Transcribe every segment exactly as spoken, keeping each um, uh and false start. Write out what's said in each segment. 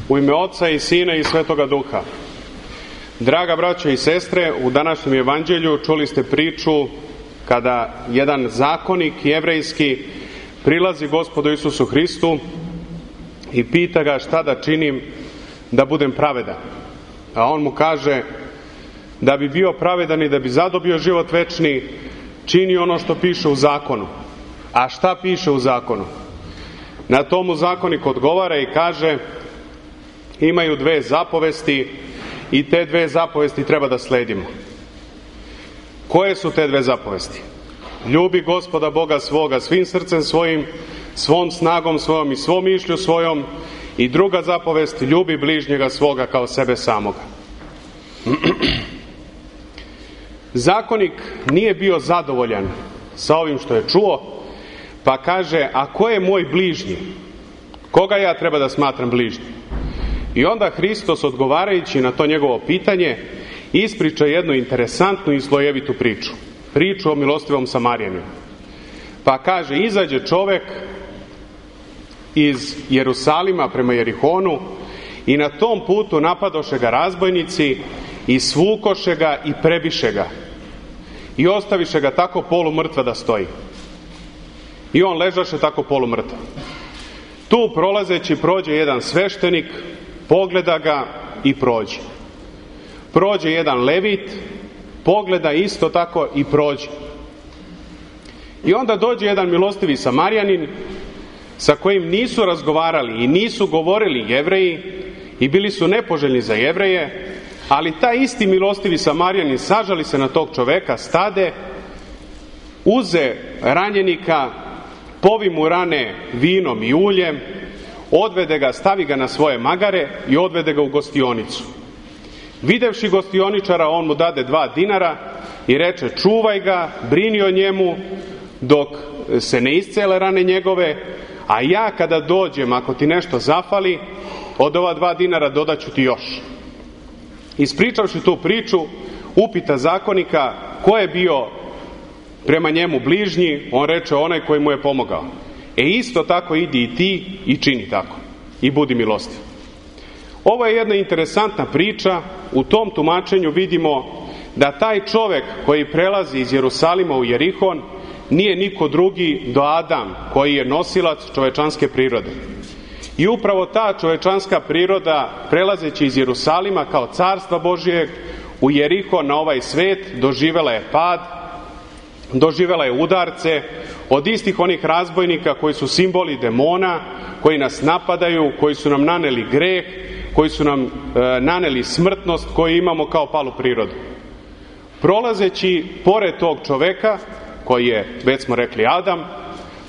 U ime Oca i Sina i Svetoga Duha. Draga braćo i sestre, u današnjem evanđelju čuli ste priču kada jedan zakonik jevrejski prilazi Gospodu Isusu Hristu i pita ga šta da činim da budem pravedan. A on mu kaže da bi bio pravedan i da bi zadobio život večni, čini ono što piše u zakonu. A šta piše u zakonu? Na tomu zakonik odgovara i kaže: imaju dve zapovesti i te dve zapovesti treba da sledimo. Koje su te dve zapovesti? Ljubi Gospoda Boga svoga svim srcem svojim, svom snagom svojom i svom mišlju svojom. I druga zapovest, ljubi bližnjega svoga kao sebe samoga. Zakonik nije bio zadovoljan sa ovim što je čuo, pa kaže: a ko je moj bližnji? Koga ja treba da smatram bližnjim? I onda Hristos, odgovarajući na to njegovo pitanje, ispriča jednu interesantnu i slojevitu priču. Priču o milostivom Samarijaninu. Pa kaže: izađe čovek iz Jerusalima prema Jerihonu i na tom putu napadoše ga razbojnici i svukoše ga i prebiše ga i ostaviše ga tako polumrtva da stoji. I on ležaše tako polumrtva. Tu prolazeći prođe jedan sveštenik, pogleda ga i prođe. Prođe jedan levit, pogleda isto tako i prođe. I onda dođe jedan milostivi Samarijanin sa kojim nisu razgovarali i nisu govorili Jevreji i bili su nepoželjni za Jevreje, ali taj isti milostivi Samarijanin sažali se na tog čoveka, stade, uze ranjenika, povi mu rane vinom i uljem, odvede ga, stavi ga na svoje magare i odvede ga u gostionicu. Videvši gostioničara, on mu dade dva dinara i reče: čuvaj ga, brini o njemu dok se ne iscele rane njegove, a ja kada dođem, ako ti nešto zafali, od ova dva dinara dodaću ti još. Ispričavši tu priču, upita zakonika ko je bio prema njemu bližnji. On reče: onaj koji mu je pomogao. E isto tako idi i ti i čini tako. I budi milostiv. Ovo je jedna interesantna priča. U tom tumačenju vidimo da taj čovek koji prelazi iz Jerusalima u Jerihon nije niko drugi do Adam, koji je nosilac čovečanske prirode. I upravo ta čovečanska priroda, prelazeći iz Jerusalima kao carstva Božijeg u Jerihon na ovaj svet, doživela je pad, doživela je udarce od istih onih razbojnika koji su simboli demona, koji nas napadaju, koji su nam naneli greh, koji su nam e, naneli smrtnost koju imamo kao palu prirodu. Prolazeći pored tog čoveka, koji je, već smo rekli, Adam,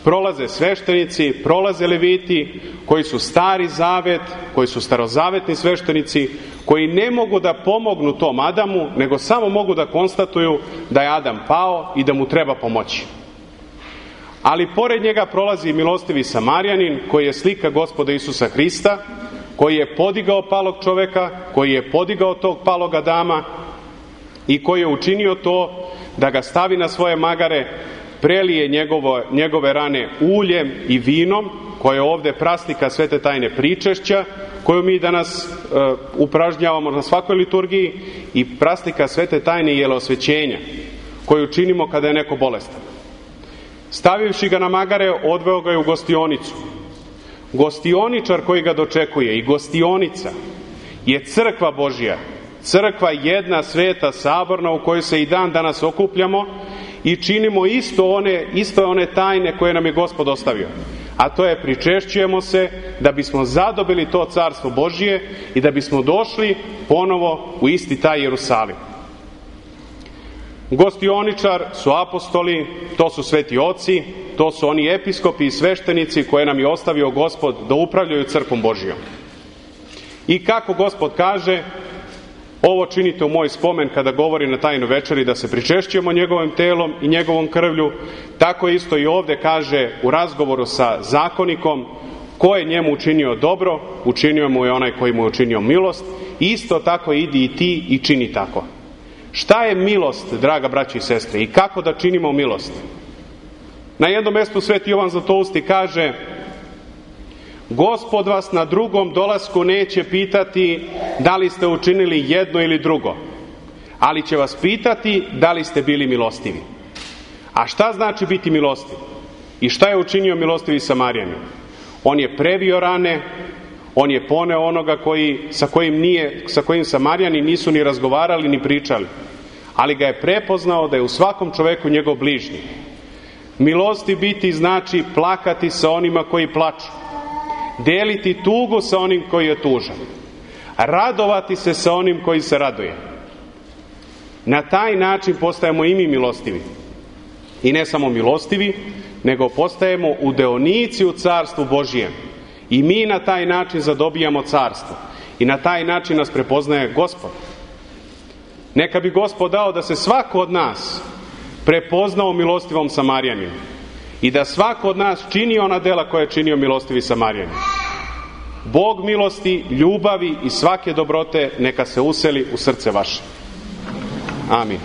prolaze sveštenici, prolaze leviti, koji su stari zavet, koji su starozavetni sveštenici, koji ne mogu da pomognu tom Adamu, nego samo mogu da konstatuju da je Adam pao i da mu treba pomoći. Ali pored njega prolazi milostivi Samarijanin, koji je slika Gospoda Isusa Hrista, koji je podigao palog čoveka, koji je podigao tog palog Adama i koji je učinio to da ga stavi na svoje magare, prelije njegovo, njegove rane uljem i vinom, koje je ovde praslika svete tajne pričešća, koju mi danas e, upražnjavamo na svakoj liturgiji, i praslika svete tajne jelosvećenja, koju činimo kada je neko bolestan. Stavivši ga na magare, odveo ga je u gostionicu. Gostioničar koji ga dočekuje i gostionica je crkva Božja, crkva jedna, sveta, saborna, u kojoj se i dan danas okupljamo i činimo isto one, isto one tajne koje nam je Gospod ostavio. A to je: pričešćujemo se da bismo zadobili to carstvo Božije i da bismo došli ponovo u isti taj Jerusalim. Gostioničar su apostoli, to su sveti oci, to su oni episkopi i sveštenici koje nam je ostavio Gospod da upravljaju crkvom Božijom. I kako Gospod kaže: ovo činite u moj spomen kada govori na tajnoj večeri da se pričešćujemo njegovim telom i njegovom krvlju, tako isto i ovde kaže u razgovoru sa zakonikom: ko je njemu učinio dobro, učinio mu je onaj koji mu je učinio milost, isto tako idi i ti i čini tako. Šta je milost, draga braći i sestre, i kako da činimo milost? Na jednom mestu sveti Jovan Zlatousti kaže: Gospod vas na drugom dolasku neće pitati da li ste učinili jedno ili drugo, ali će vas pitati da li ste bili milostivi. A šta znači biti milostiv? I šta je učinio milostivi Samarjanin? On je previo rane, on je poneo onoga koji, sa, kojim nije, sa kojim Samarjani nisu ni razgovarali ni pričali, ali ga je prepoznao da je u svakom čoveku njegov bližnji. Milosti biti znači plakati sa onima koji plaču, deliti tugu sa onim koji je tužan, radovati se sa onim koji se raduje. Na taj način postajemo i mi milostivi. I ne samo milostivi, nego postajemo udeonici u carstvu Božijem. I mi na taj način zadobijamo carstvo. I na taj način nas prepoznaje Gospod. Neka bi Gospod dao da se svako od nas prepoznao milostivom Samarjaninu i da svako od nas čini ona dela koja je činio milostivi Samarjanin. Bog milosti, ljubavi i svake dobrote neka se useli u srce vaše. Amin.